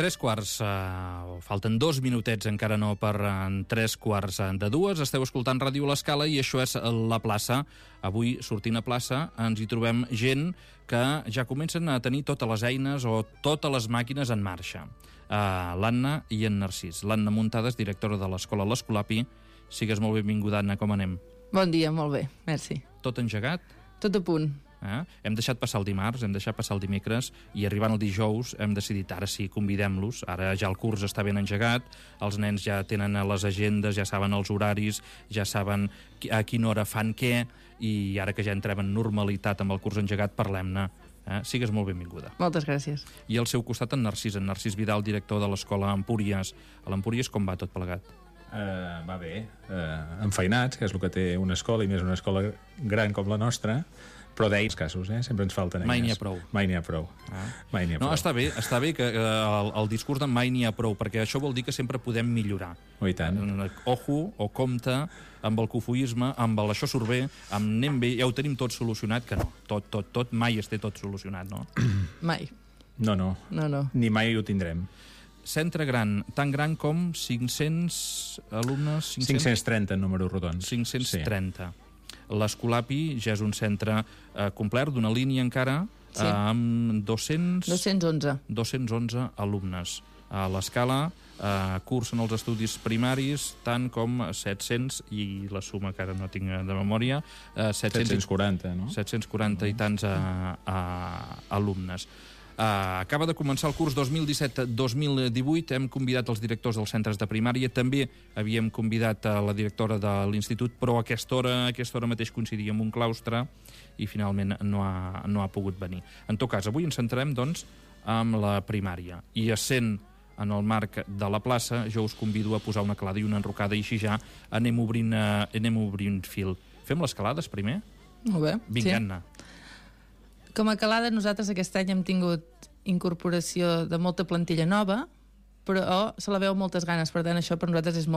3 quarts, falten 2 minutets, encara no per 3 quarts de 2. Esteu escoltant Ràdio L'Escala i això és La Plaça. Avui, sortint a plaça, ens hi trobem gent que ja comencen a tenir totes les eines o totes les màquines en marxa. L'Anna i en Narcís. L'Anna Muntades, directora de l'Escola L'Escolapi. Sigues molt benvinguda, Anna, com anem? Bon dia, molt bé, merci. Tot engegat? Tot a punt. Hem deixat passar el dimarts, hem deixat passar el dimecres i arribant el dijous hem decidit, ara sí, convidem-los. Ara ja el curs està ben engegat, els nens ja tenen les agendes, ja saben els horaris, ja saben a quina hora fan què, i ara que ja entrem en normalitat amb el curs engegat, parlem-ne. Sigues molt benvinguda. Moltes gràcies. I al seu costat en Narcís Vidal, director de l'Escola Empúries. A l'Empúries com va tot plegat? Va bé, enfeinats, que és el que té una escola, i més una escola gran com la nostra, però d'ells casos, sempre ens falten eines. Mai n'hi ha prou. Mai n'hi ha prou. Mai n'hi ha prou. No, està bé que el discurs de mai n'hi ha prou, perquè això vol dir que sempre podem millorar. I tant. Ojo, o compte, amb el cofoisme, amb el això surt bé, amb anem bé, ja ho tenim tot solucionat, que no. Tot, mai es té tot solucionat, no? Mai. No. Ni mai ho tindrem. Centre gran, tan gran com 500 alumnes? 530 en números rodons. 530. Sí. L'Escolapi ja és un centre complet, d'una línia encara, sí, amb 211 alumnes. A l'Escala cursen els estudis primaris tant com 700, i la suma que ara no tinc de memòria, 740, no? 740 i tants alumnes. Acaba de començar el curs 2017-2018, hem convidat els directors dels centres de primària, també havíem convidat a la directora de l'institut, però a aquesta hora mateix coincidia amb un claustre i finalment no ha pogut venir. En tot cas, avui ens centrarem, doncs, amb la primària. I essent en el marc de la plaça, jo us convido a posar una calada i una enrocada, i així ja anem obrint fil. Fem les calades primer? Molt bé. Vinga, sí. Anna. Com a calada, nosaltres aquest any hem tingut incorporació de molta plantilla nova, però se la veu amb moltes ganes, per tant això per nosaltres és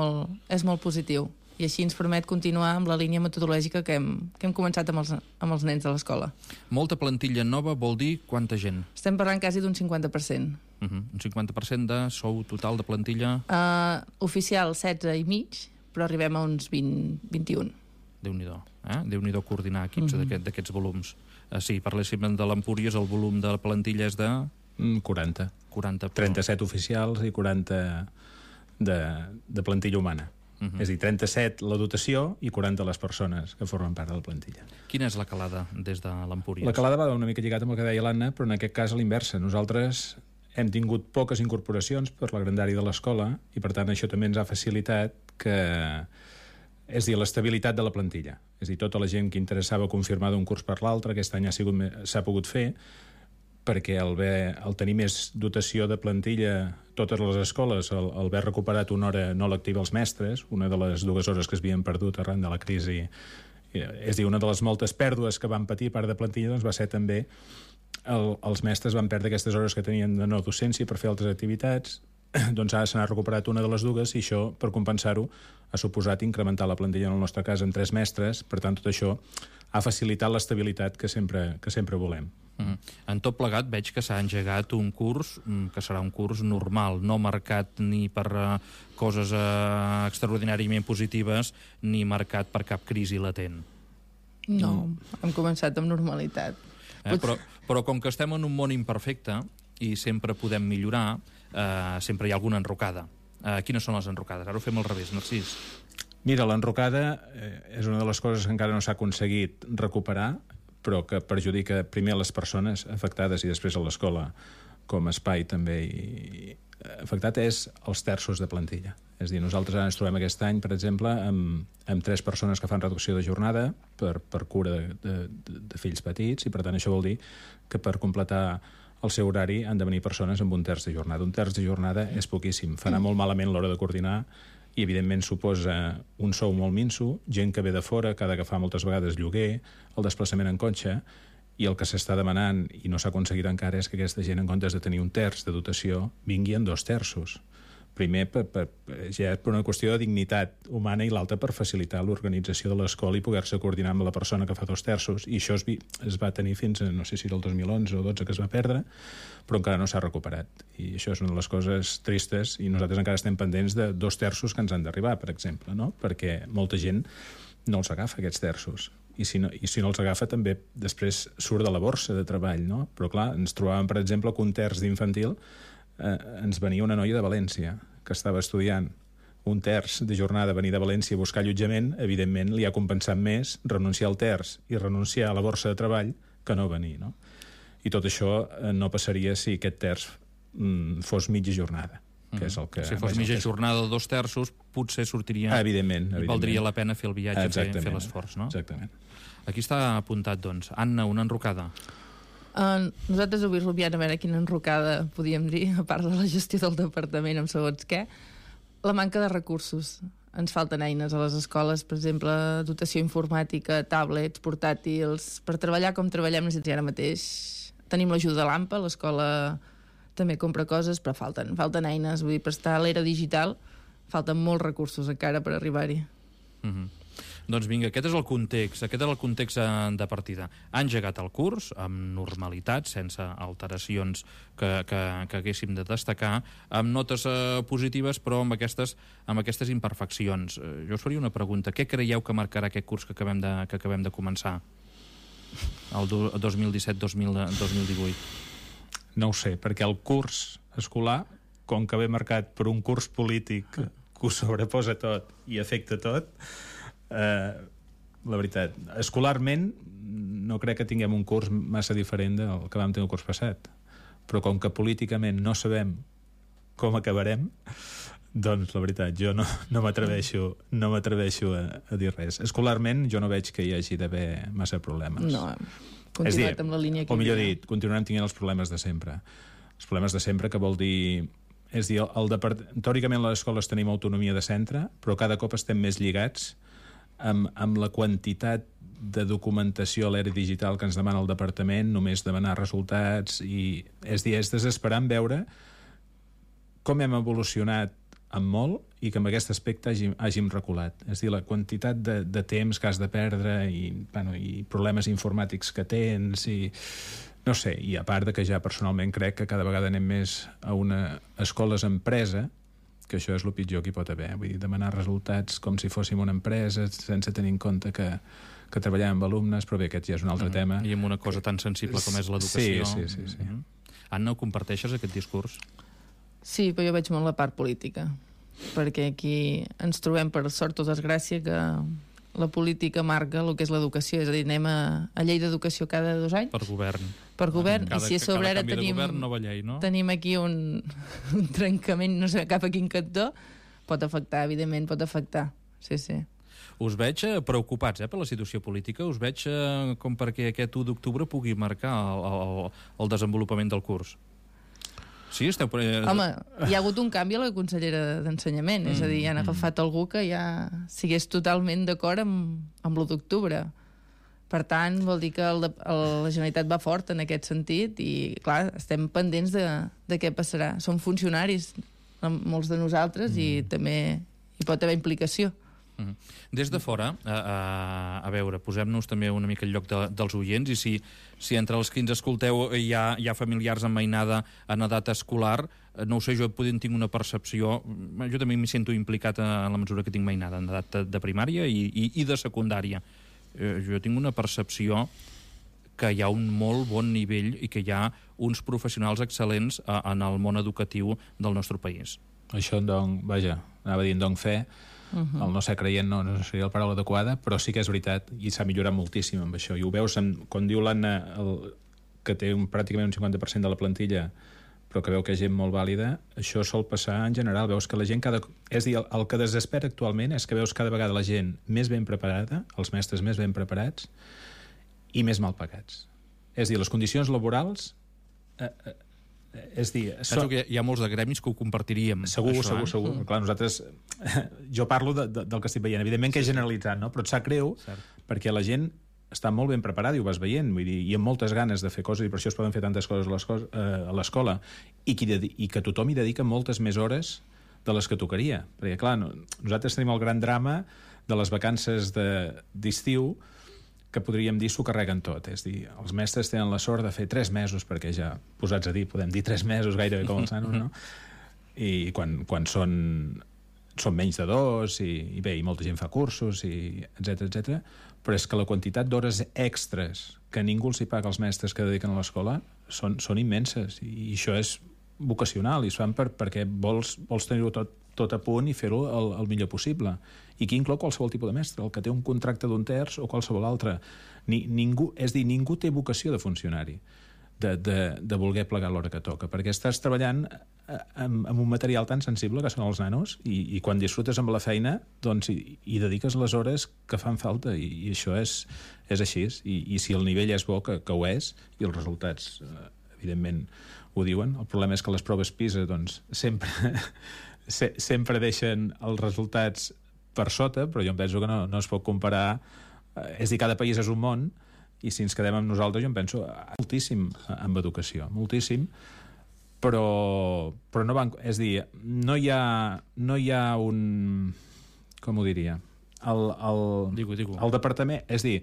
molt positiu, i així ens permet continuar amb la línia metodològica que hem començat amb els nens de l'escola. Molta plantilla nova vol dir quanta gent? Estem parlant quasi d'un 50%. Un 50% de sou total de plantilla? Oficial 16 i mig, però arribem a uns 20-21. Déu-n'hi-do, Déu-n'hi-do coordinar equips d'aquests volums. Sí, parléssim de l'Empúries, el volum de la plantilla és de... 40. 40 37 oficials i 40 de plantilla humana. És a dir, 37 la dotació i 40 les persones que formen part de la plantilla. Quina és la calada des de l'Empúries? La calada va una mica lligat amb el que deia l'Anna, però en aquest cas a l'inversa. Nosaltres hem tingut poques incorporacions per la grandària de l'escola i per tant això també ens ha facilitat que... És a dir, l'estabilitat de la plantilla. És a dir, tota la gent que interessava confirmar d'un curs per l'altre, aquest any s'ha pogut fer, perquè al tenir més dotació de plantilla, totes les escoles, al haver recuperat una hora no lectiva als mestres, una de les 2 hores que es havien perdut arran de la crisi, és a dir, una de les moltes pèrdues que van patir part de plantilla, doncs va ser també els mestres van perdre aquestes hores que tenien de no docència per fer altres activitats. Doncs ara se n'ha recuperat una de les 2 i això, per compensar-ho, ha suposat incrementar la plantilla, en el nostre cas, en 3 mestres. Per tant, tot això ha facilitat l'estabilitat que sempre volem. En tot plegat veig que s'ha engegat un curs que serà un curs normal, no marcat ni per coses extraordinàriament positives ni marcat per cap crisi latent. No, hem començat amb normalitat. Però com que estem en un món imperfecte i sempre podem millorar, sempre hi ha alguna enrocada. Quines són les enrocades? Ara ho fem al revés, Narcís. Mira, l'enrocada és una de les coses que encara no s'ha aconseguit recuperar, però que perjudica primer les persones afectades i després a l'escola com a espai també afectat, és els terços de plantilla. És a dir, nosaltres ara ens trobem aquest any, per exemple, amb 3 persones que fan reducció de jornada per cura de fills petits, i per tant això vol dir que per completar el seu horari han de venir persones amb 1/3 de jornada. 1/3 de jornada és poquíssim. Farà molt malament l'hora de coordinar i, evidentment, suposa un sou molt minso, gent que ve de fora, que ha d'agafar moltes vegades lloguer, el desplaçament en cotxe, i el que s'està demanant, i no s'ha aconseguit encara, és que aquesta gent, en comptes de tenir 1/3 de dotació, vingui en 2/3. Primer, ja per una qüestió de dignitat humana i l'altra per facilitar l'organització de l'escola i poder-se coordinar amb la persona que fa 2 terços. I això es va tenir fins a, no sé si era el 2011 o 12 que es va perdre, però encara no s'ha recuperat. I això és una de les coses tristes i nosaltres encara estem pendents de 2 terços que ens han d'arribar, per exemple, no? Perquè molta gent no els agafa, aquests terços. I si no els agafa també després surt de la borsa de treball, no? Però clar, ens trobàvem, per exemple, que un terç d'infantil ens venia una noia de València que estava estudiant un terç de jornada a venir de València a buscar allotjament, evidentment li ha compensat més renunciar al terç i renunciar a la borsa de treball que no venir, no? I tot això no passaria si aquest terç fos mitja jornada, que és el que... Si fos mitja jornada de 2 terços, potser sortiria... Evidentment. I valdria la pena fer el viatge, fer l'esforç, no? Exactament. Aquí està apuntat, doncs. Anna, una enrocada. Nosaltres avui rubiant a veure quina enrocada podíem dir, a part de la gestió del departament amb segons què, la manca de recursos. Ens falten eines a les escoles, per exemple, dotació informàtica, tablets, portàtils, per treballar com treballem ara mateix. Tenim l'ajuda de l'AMPA, l'escola també compra coses, però falten eines. Vull dir, per estar a l'era digital falten molts recursos encara per arribar-hi. Doncs vinga, aquest és el context de partida. Ha engegat el curs amb normalitat, sense alteracions que haguéssim de destacar, amb notes positives, però amb aquestes imperfeccions. Jo us faria una pregunta. Què creieu que marcarà aquest curs que acabem de començar? El 2017-2018? No ho sé, perquè el curs escolar, com que ve marcat per un curs polític que ho sobreposa tot i afecta tot, la veritat, escolarment no crec que tinguem un curs massa diferent del que vam tenir el curs passat, però com que políticament no sabem com acabarem, doncs la veritat, jo no m'atreveixo a dir res. Escolarment jo no veig que hi hagi d'haver massa problemes. No, continuat amb la línia que... O millor dit, continuarem tenint els problemes de sempre. Els problemes de sempre, que vol dir... És dir, teòricament a les escoles tenim autonomia de centre, però cada cop estem més lligats amb la quantitat de documentació a l'era digital que ens demana el departament, només demanar resultats, i és desesperant veure com hem evolucionat en molt i que en aquest aspecte hàgim reculat. És dir, la quantitat de temps que has de perdre i problemes informàtics que tens i... No sé, i a part de que ja personalment crec que cada vegada anem més a una escoles empresa, que això és el pitjor que hi pot haver. Vull dir, demanar resultats com si fóssim una empresa sense tenir en compte que treballem amb alumnes, però bé, aquest ja és un altre tema. I amb una cosa tan sensible com és l'educació. Sí. Anna, ho comparteixes, aquest discurs? Sí, però jo veig molt la part política, perquè aquí ens trobem, per sort o desgràcia, que la política marca el que és l'educació, és a dir, anem a llei d'educació cada 2 anys. Per govern. I si a sobre ara tenim aquí un trencament, no sé, cap a quin cantó, pot afectar, evidentment, pot afectar. Sí. Us veig preocupats per la situació política, us veig com perquè aquest 1 d'octubre pugui marcar el desenvolupament del curs. Sí, esteu... Home, hi ha hagut un canvi a la consellera d'Ensenyament, és a dir, han agafat algú que ja sigués totalment d'acord amb l'1 d'octubre. Per tant, vol dir que la Generalitat va fort en aquest sentit i, clar, estem pendents de què passarà. Som funcionaris, molts de nosaltres, i també hi pot haver implicació. Des de fora, a veure, posem-nos també una mica al lloc dels oients, i si entre els que ens escolteu hi ha familiars amb mainada en edat escolar, no ho sé, jo tinc una percepció, jo també m'hi sento implicat en la mesura que tinc mainada en edat de primària i de secundària. Jo tinc una percepció que hi ha un molt bon nivell i que hi ha uns professionals excel·lents en el món educatiu del nostre país. Això, anava a dir en fe, el no ser creient no seria la paraula adequada, però sí que és veritat i s'ha millorat moltíssim amb això. I ho veus, quan diu l'Anna que té pràcticament un 50% de la plantilla, però que veu que és gent molt vàlida, això sol passar en general. Veus que la gent És a dir, el que desespera actualment és que veus cada vegada la gent més ben preparada, els mestres més ben preparats i més mal pagats. És a dir, les condicions laborals... Penso que hi ha molts de gremis que ho compartiríem. Segur. Clar, nosaltres... Jo parlo del que estic veient. Evidentment que és generalitzat, no? Però et sap greu perquè la gent està molt ben preparada i ho vas veient, vull dir, i amb moltes ganes de fer coses, i per això es poden fer tantes coses a l'escola, i que tothom hi dedica moltes més hores de les que tocaria. Perquè, clar, nosaltres tenim el gran drama de les vacances d'estiu, que podríem dir s'ho carreguen tot. És dir, els mestres tenen la sort de fer 3 mesos, perquè ja, posats a dir, podem dir 3 mesos gairebé com els nanos, no? I quan són menys de 2, i bé, i molta gent fa cursos, i etc. Però és que la quantitat d'hores extres que ningú els hi paga als mestres que dediquen a l'escola són immenses, i això és vocacional, i es fan perquè vols tenir-ho tot a punt i fer-ho el millor possible. I aquí inclou qualsevol tipus de mestre, el que té un contracte d'un terç o qualsevol altre. Ningú té vocació de funcionari, de voler plegar l'hora que toca, perquè estàs treballant amb un material tan sensible que són els nanos, i quan disfrutes amb la feina doncs hi dediques les hores que fan falta, i això és així, i si el nivell és bo, que ho és, i els resultats evidentment ho diuen. El problema és que les proves PISA doncs sempre deixen els resultats per sota, però jo em penso que no es pot comparar. És dir, cada país és un món, i si ens quedem amb nosaltres, jo em penso moltíssim amb educació, moltíssim, però no van... És dir, no hi ha un... Com ho diria? El departament... És dir,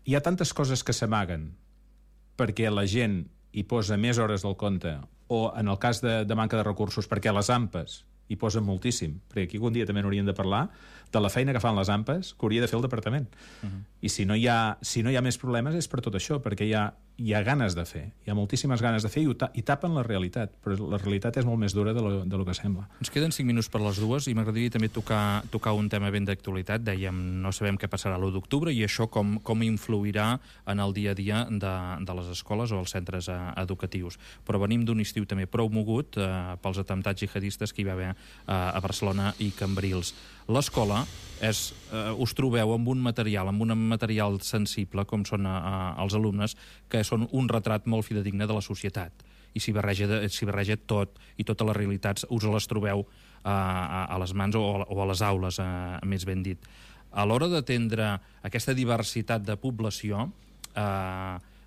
hi ha tantes coses que s'amaguen perquè la gent hi posa més hores del compte, o en el cas de manca de recursos perquè les AMPAs hi posen moltíssim, perquè aquí un dia també n'hauríem de parlar de la feina que fan les AMPAs, que hauria de fer el departament. I si no hi ha més problemes és per tot això, perquè hi ha ganes de fer, hi ha moltíssimes ganes de fer, i tapen la realitat, però la realitat és molt més dura de lo que sembla. Ens queden 5 minuts per les 2, i m'agradaria també tocar un tema ben d'actualitat. Dèiem, no sabem què passarà l'1 d'octubre, i això com influirà en el dia a dia de les escoles o els centres educatius. Però venim d'un estiu també prou mogut pels atemptats jihadistes que hi va haver a Barcelona i Cambrils. L'escola us trobeu amb un material sensible, com són els alumnes, que són un retrat molt fidedigne de la societat, i s'hi barreja tot, i totes les realitats us les trobeu a les mans o a les aules, més ben dit. A l'hora d'atendre aquesta diversitat de població,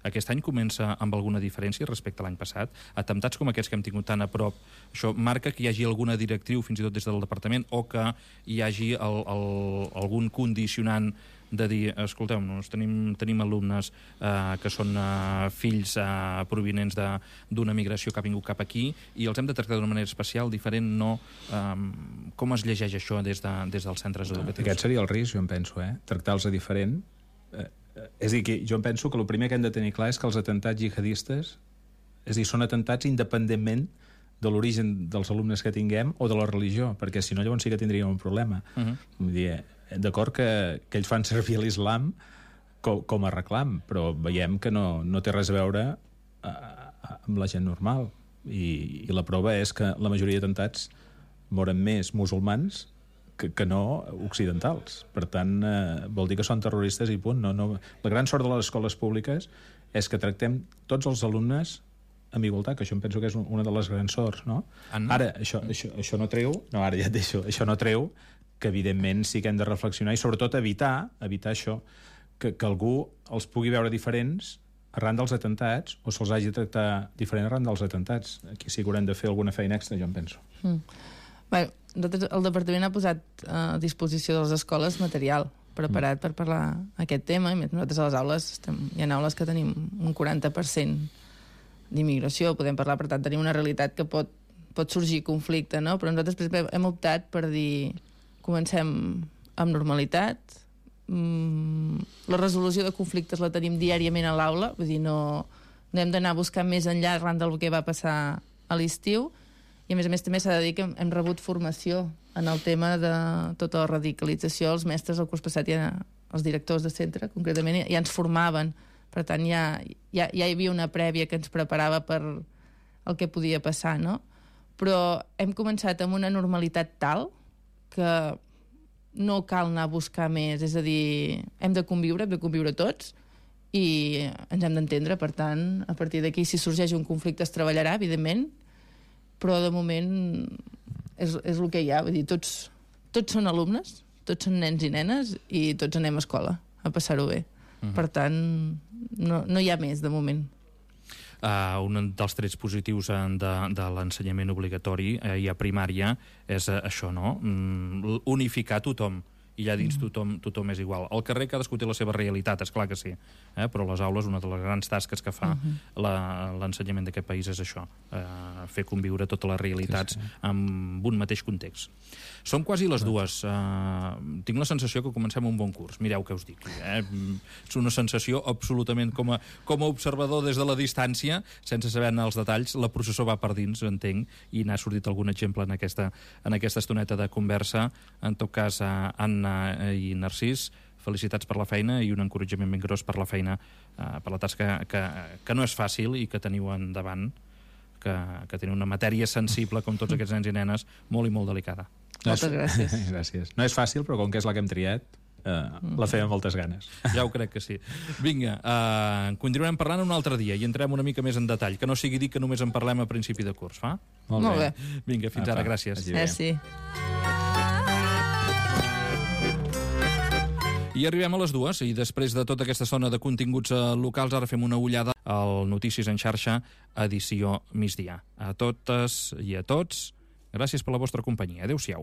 aquest any comença amb alguna diferència respecte a l'any passat. Atemptats com aquests que hem tingut tan a prop, això marca que hi hagi alguna directriu, fins i tot des del departament, o que hi hagi algun condicionant de dir, escolteu-nos, tenim alumnes que són fills provinents d'una migració que ha vingut cap aquí, i els hem de tractar d'una manera especial, diferent, no... Com es llegeix això des dels centres educatius? Aquest seria el risc, jo em penso, tractar-los diferent. És a dir, que jo em penso que el primer que hem de tenir clar és que els atemptats jihadistes, és a dir, són atemptats independentment de l'origen dels alumnes que tinguem o de la religió, perquè si no llavors sí que tindríem un problema. Vull dir, d'acord que ells fan servir l'islam com a reclam, però veiem que no té res a veure amb la gent normal, i la prova és que la majoria d'atemptats moren més musulmans que no occidentals. Per tant, vol dir que són terroristes i punt. La gran sort de les escoles públiques és que tractem tots els alumnes amb igualtat, que això em penso que és una de les grans sorts, no? Ara, això no treu... No, ara ja et deixo. Això no treu que, evidentment, sí que hem de reflexionar i, sobretot, evitar això, que algú els pugui veure diferents arran dels atemptats, o se'ls hagi de tractar diferent arran dels atemptats. Aquí sí que haurem de fer alguna feina extra, jo em penso. Bé, el departament ha posat a disposició de les escoles material preparat per parlar aquest tema, i nosaltres a les aules hi ha aules que tenim un 40% d'immigració, podem parlar, per tant tenim una realitat que pot sorgir conflicte, no? Però nosaltres, per exemple, hem optat per dir comencem amb normalitat, la resolució de conflictes la tenim diàriament a l'aula, vull dir, no hem d'anar a buscar més enllà arran del que va passar a l'estiu. I a més també s'ha de dir que hem rebut formació en el tema de tota la radicalització. Els mestres el curs passat, els directors de centre concretament, ja ens formaven. Per tant, ja hi havia una prèvia que ens preparava per el que podia passar, no? Però hem començat amb una normalitat tal que no cal anar a buscar més. És a dir, hem de conviure tots, i ens hem d'entendre. Per tant, a partir d'aquí, si sorgeix un conflicte es treballarà, evidentment, però de moment és el que hi ha. Vull dir, tots són alumnes, tots són nens i nenes, i tots anem a escola a passar-ho bé. Per tant, no hi ha més de moment. Un dels trets positius de l'ensenyament obligatori i a primària és això, no? Unificar tothom, i allà dins tothom és igual. Al carrer cadascú té la seva realitat, és clar que sí, però a les aules una de les grans tasques que fa l'ensenyament d'aquest país és això, fer conviure totes les realitats amb un mateix context. Som quasi les dues. Tinc la sensació que comencem un bon curs. Mireu què us dic. És una sensació absolutament com a observador des de la distància, sense saber-ne els detalls. La processó va per dins, entenc, i n'ha sortit algun exemple en aquesta estoneta de conversa. En tot cas, Anna i Narcís, felicitats per la feina i un encoratjament ben gros per la feina, per la tasca que no és fàcil i que teniu endavant, que teniu una matèria sensible, com tots aquests nens i nenes, molt i molt delicada. Moltes gràcies. Gràcies. No és fàcil, però com que és la que hem triat, la fem amb moltes ganes. Ja ho crec que sí. Vinga, continuarem parlant un altre dia i entrem una mica més en detall, que no sigui dir que només en parlem a principi de curs, fa? Molt bé. Vinga, fins ara, gràcies. Merci. I arribem a les 2, i després de tota aquesta zona de continguts locals, ara fem una ullada al Notícies en xarxa, edició migdia. A totes i a tots, gràcies per la vostra companyia. Adéu-siau.